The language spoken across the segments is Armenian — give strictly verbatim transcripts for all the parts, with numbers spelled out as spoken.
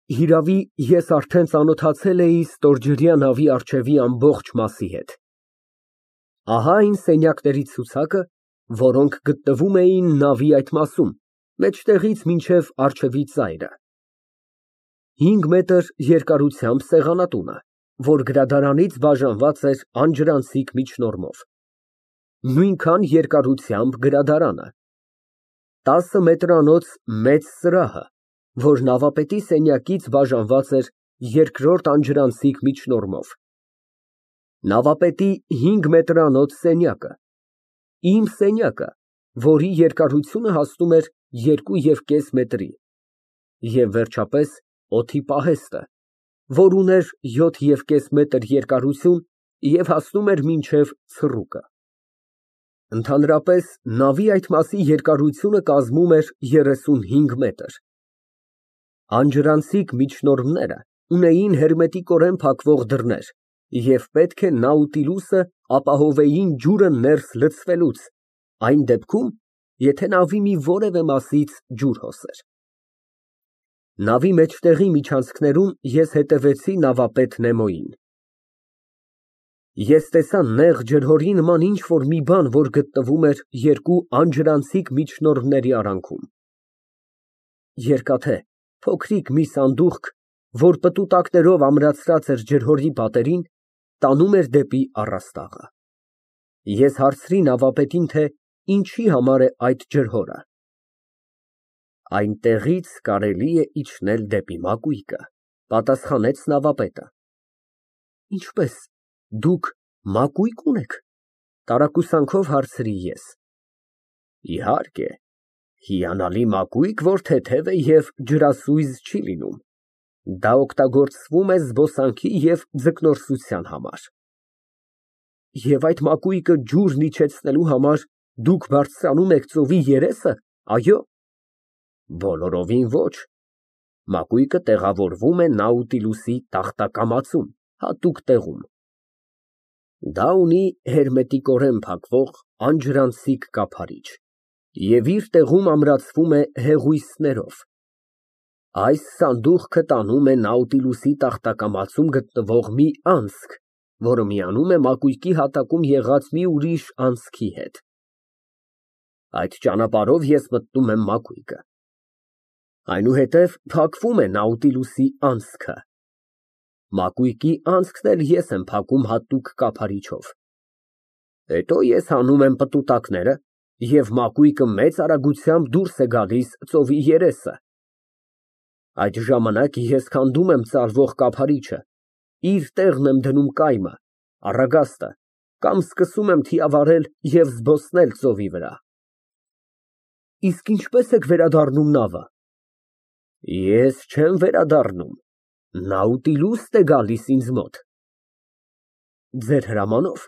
Հիրավի, ես արդեն ծանոթացել էի ստորջրյա նավի առջևի ամբողջ մասի հետ։ Ահա այն սենյակների ցուցակը, որոնք գտնվում էին նավի այդ մասում, մեջտեղից մինչև առջևի ծայրը. հինգ մետր երկարությամբ սեղանատունը, որ գրադարանից բաժանված էր անջրանցիկ միջնորմով, նույնքան երկարությամբ գրադարանը, տասը մետրանոց մեծ սրահը, որ նավապետի սենյակից բաժանված էր երկրորդ անջրանցիկ միջնորմով, նավապետի հինգ մետրանոց սենյակը, իմ սենյակը, որի երկարությունը հասնում էր երկու և կես մետրի, և վերջապես օդի պահեստը, որ ուներ յոթ և կես մետր երկարություն և հասնում էր մինչև ցռուկը։ Ընդհանրապես, նավի այդ մասի երկարությունը կազմում էր երեսունհինգ մետր։ Անջրանցիկ միջնորմները ունեին հերմետիկորեն փակվող դռներ և պետք է Նաուտիլուսը ապահովեին ջուրը ներս լցվելուց, այն դեպքում, եթե նավի մի որևէ մասից ջուր հոսեր։ Նավի մեջտեղի միջանցքներում ես հետևեցի նավապետ Նեմոյին։ Ես տեսա նեղ ջրհորի նման ինչ֊որ մի բան, որ գտնվում էր երկու անջրանցիկ միջնորմների արանքում։ Երկաթե, փոքրիկ մի սանդուղք, որ պտուտակներով ամրացրած էր ջրհորի պատերին, տանում էր դեպի առաստաղը։ Ես հարցրի նավապետին, թե ինչի համար է այդ ջրհորը։ Այնտեղից կարելի է իջնել դեպի մակույկը, պատասխանեց նավապետը։ Ինչպե՞ս, դուք մակույկ ունե՞ք, տարակուսանքով հարցրի ես։ Իհարկե, հիանալի մակույկ, որ թեթև է և ջրասույզ չի լինում, դա օգտագործվում է զբոսանքի և ձկնորսության համար։ Եվ այդ մակույկը ջուրն իջեցնելու համար դուք բարձրանում եք ծովի երեսը, այո։ Բոլորովին ոչ, մակույկը տեղավորվում է Նաուտիլուսի տախտակամածում, հատուկ տեղում։ Դա ունի հերմետիկորեն փակվող անջրանցիկ կափարիչ և իր տեղում ամրացվում է հեղուիսներով։ Այս սանդուղքը տանում է Նաուտիլուսի տախտակամածում գտնվող մի անցք, որը միանում է մակույկի հատակում եղած մի ուրիշ անցքի հետ։ Այդ ճանապարհով ես մտնում եմ մակույկը։ Այնուհետև փակվում է Նաուտիլուսի անցքը։ Մակույկի անցքն էլ ես եմ փակում հատուկ կափարիչով։ Հետո ես հանում եմ պտուտակները, և մակույկը մեծ արագությամբ դուրս է գալիս ծովի երեսը։ Այդ ժամանակ ես քանդում եմ ծալվող կափարիչը, իր տեղն եմ դնում կայմը, առագաստը, կամ սկսում եմ թիավարել և զբոսնել ծովի վրա։ Իսկ ինչպե՞ս եք վերադառնում նավը։ Ես չեմ վերադառնում, Նաուտիլուսն է գալիս ինձ մոտ։ Ձեր հրամանո՞վ։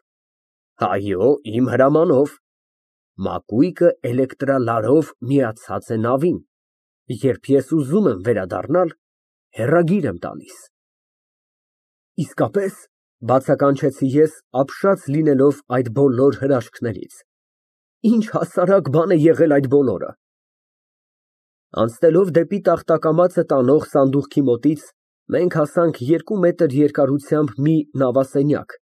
Այո, իմ հրամանով։ Մակույկը էլեկտրալարով միացած է նավին, երբ ես ուզում եմ վերադառնալ, հեռագիր եմ տալիս։ Իսկապե՞ս, բացականչեցի ես, ապշած լինելով այդ բոլոր հրաշքներից, ինչ հասարակ բան է եղել այդ բոլորը։ Անցնելով դեպի տախտակամածը տանող սանդուղքի մոտից, մենք հասանք երկու մետր երկարությամբ մի նավասենյակ,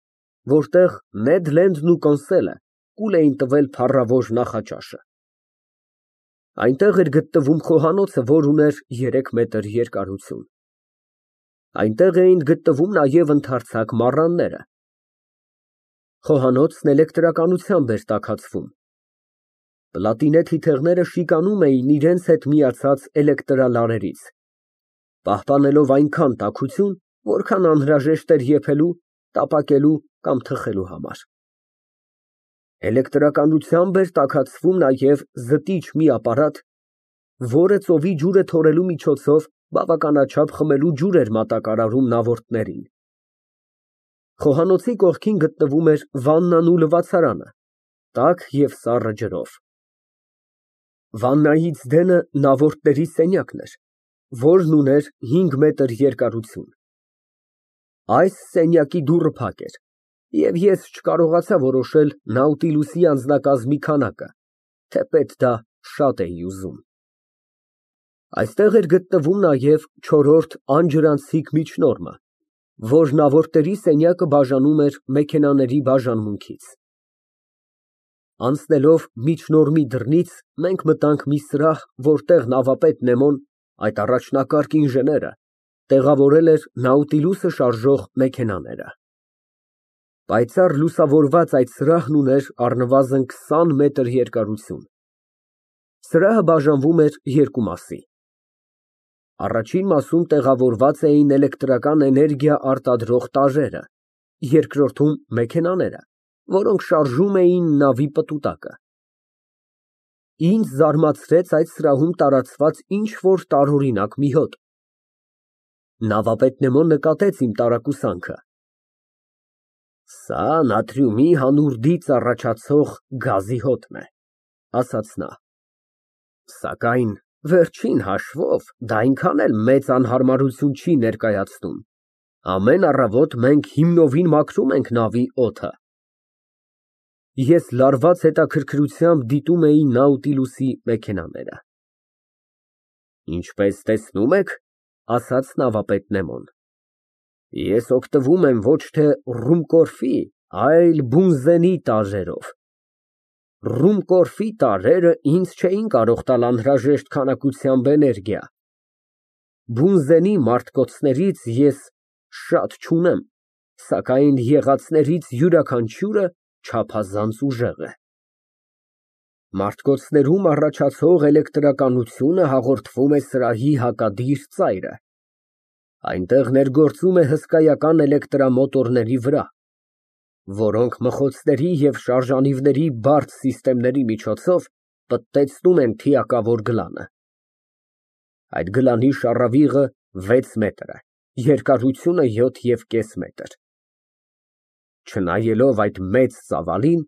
որտեղ Նեդ Լենդն ու Կոնսելը կուլ էին տվել փառավոր նախաճաշը։ Այնտեղ էր գտնվում խոհանոցը, որ ուներ երեք մետր երկարություն։ Այնտեղ էին գտնվում նաև ընդարձակ մառանները։ Խոհանոցն էլեկտրականությամբ էր տաքացվում։ Պլատինե թիթեղները շիկանում էին իրենց հետ միացած էլեկտրալարերից, պահպանելով այնքան տաքություն, որքան անհրաժեշտ էր եփելու, տապակելու կամ թխելու համար։ Էլեկտրականությամբ էր տաքացվում նաև զտիչ մի ապարատ, որը ծովի ջուրը թորելու միջոցով բավականաչափ խմելու ջուր էր մատակարարում նավորդներին։ Խոհանոցի կողքին գտնվում էր վաննան ու լվացարանը, տաք և սառը ջրով։ Վաննայից դենը նավորդների սենյակն էր, որն ուներ հինգ մետր երկարություն։ Այս սենյակի դուռը փակ էր, և ես չկարողացա որոշել Նաուտիլուսի անձնակազմի քանակը, թեպետ դա շատ էի ուզում։ Այստեղ էր գտնվում նաև չորրորդ անջրանցիկ միջնորմը, որն ավորդների սենյակը բաժանում էր մեքենաների բաժանմունքից։ Անցնելով միջնորմի դռնից մենք մտանք մի սրահ, որտեղ նավապետ Նեմոն, այդ առաջնակարգ ինժեները, տեղավորել էր Նաուտիլուսը շարժող մեքենաները։ Պայծառ լուսավորված այդ սրահն ուներ առնվազն քսան մետր երկարություն։ Սրահը բաժանվում էր երկու մասի։ Առաջին մասում տեղավորված էին էլեկտրական էներգիա արտադրող տարրերը, երկրորդում մեքենաները, որոնք շարժում էին նավի պտուտակը։ Ինձ զարմացրեց այդ սրահում տարածված ինչ֊որ տարօրինակ մի հոտ։ Նավապետ Նեմոն նկատեց իմ տարակուսանքը։ Սա նատրիումի հանուրդից առաջացող գազի հոտն է, ասաց նա։ Սակայն վերջին հաշվով դա այնքան էլ մեծ անհարմարություն չի ներկայացնում։ Ամեն առավոտ մենք հիմնովին մաքրում ենք նավի օդը։ Ես լարված հետաքրքրությամբ դիտում էի Նաուտիլուսի մեքենաները։ Ինչպես տեսնում եք, ասաց նավապետ Նեմոն, ես օգտվում եմ ոչ թե ռումկորֆի, այլ բունզենի տարրերով։ Ռումկորֆի տարրերը ինձ չէին կարող տալ անհրաժեշտ քանակությամբ էներգիա։ Բունզենի մարտկոցներից ես շատ չունեմ, սակայն եղածներից յուրաքանչյուրը չափազանց ուժեղ է։ Մարտկոցներում առաջացող էլեկտրականությունը հաղորդվում է սրահի հակադիր ծայրը։ Այնտեղ ներգործում է հսկայական էլեկտրամոտորների վրա, որոնք մխոցների և շարժանիվների բարդ սիստեմների միջոցով պտտեցնում են թիակավոր գլանը։ Այդ գլանի շառավիղը վեց մետր է, երկարությունը յոթ և կես մետր։ Չնայելով այդ մեծ ծավալին,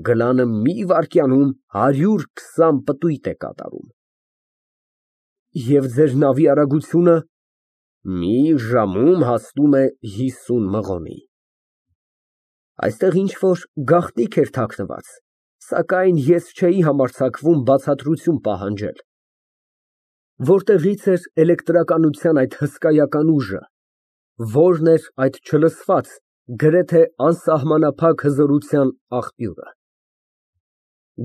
գլանը մի վայրկյանում հարյուր քսան պտույտ է կատարում։ Եվ ձեր նավի արագությունը մի ժամում հասնում է հիսուն մղոնի։ Այստեղ ինչ֊որ գաղտնիք էր թաքնված, սակայն ես չէի համարձակվում բացատրություն պահանջել։ Որտեղի՞ց էր էլեկտրականության այդ հսկայական ուժը, ո՞րն էր այդ չլսված, գրեթե անսահմանափակ հզորության աղբյուրը։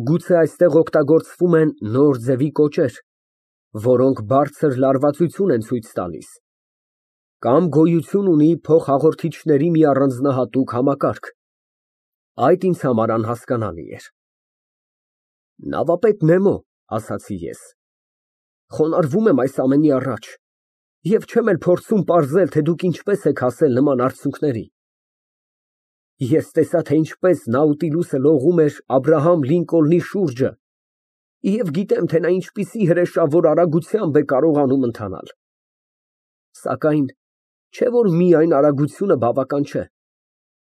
Գուցե այստեղ օգտագործվում են նոր ձևի կոճեր, որոնք բարձր լարվածություն են ցույց տալիս, կամ գոյություն ունի փոխհաղորդիչների մի առանձնահատուկ համակարգ։ Այդ ինձ համար անհասկանալի էր։ Նավապետ Նեմո, ասացի ես, խոնարհվում եմ այս ամենի առաջ և չեմ էլ փորձում պարզել, թե դուք ինչպես եք հասել նման արդյունքների։ Ես տեսա, թե ինչպես Նաուտիլուսը լողում էր Աբրահամ Լինկոլնի շուրջը և գիտեմ, թե նա ինչպիսի հրեշավոր արագությամբ է կարողանում ընթանալ։ Սակայն չէ՞ որ միայն արագությունը բավական չէ։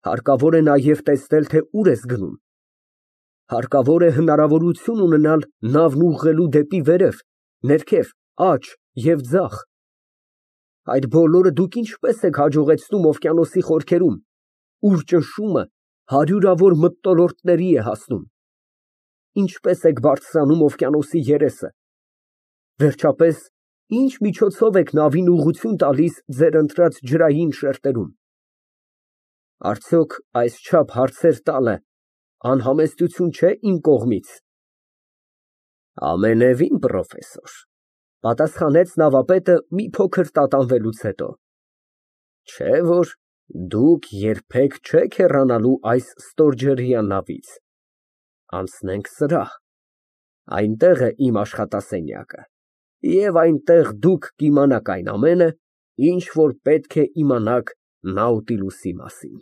Հարկավոր է նաև տեսնել, թե ուր ես գնում։ Հարկավոր է հնարավորություն ունենալ նավն ուղղելու դեպի վերև, ներքև, աջ և ձախ։ Այդ բոլորը դուք ինչպես եք հաջողեցնում օվկիանոսի խորքերում, ուր ճնշումը հարյուրավոր մթնոլորտների է հասնում։ Ինչպես եք բարձրանում օվկիանոսի երեսը։ Վերջապես, ինչ միջոցով եք նավին ուղղություն տալիս ձեր ընտրած ջրային շերտերում։ Արդյոք այսչափ հարցեր տալը անհամեստություն չէ իմ կողմից։ Ամենևին, պրոֆեսոր, պատասխանեց նավապետը մի փոքր տատանվելուց հետո։ Չէ՞ որ դուք երբեք չեք հեռանալու այս ստորջրյա նավից։ Անցնենք սրահ, այնտեղ է իմ աշխատասենյակը, և այնտեղ դուք կիմանաք այն ամենը, ինչ որ պետք է իմանաք Նաուտիլուսի մասին։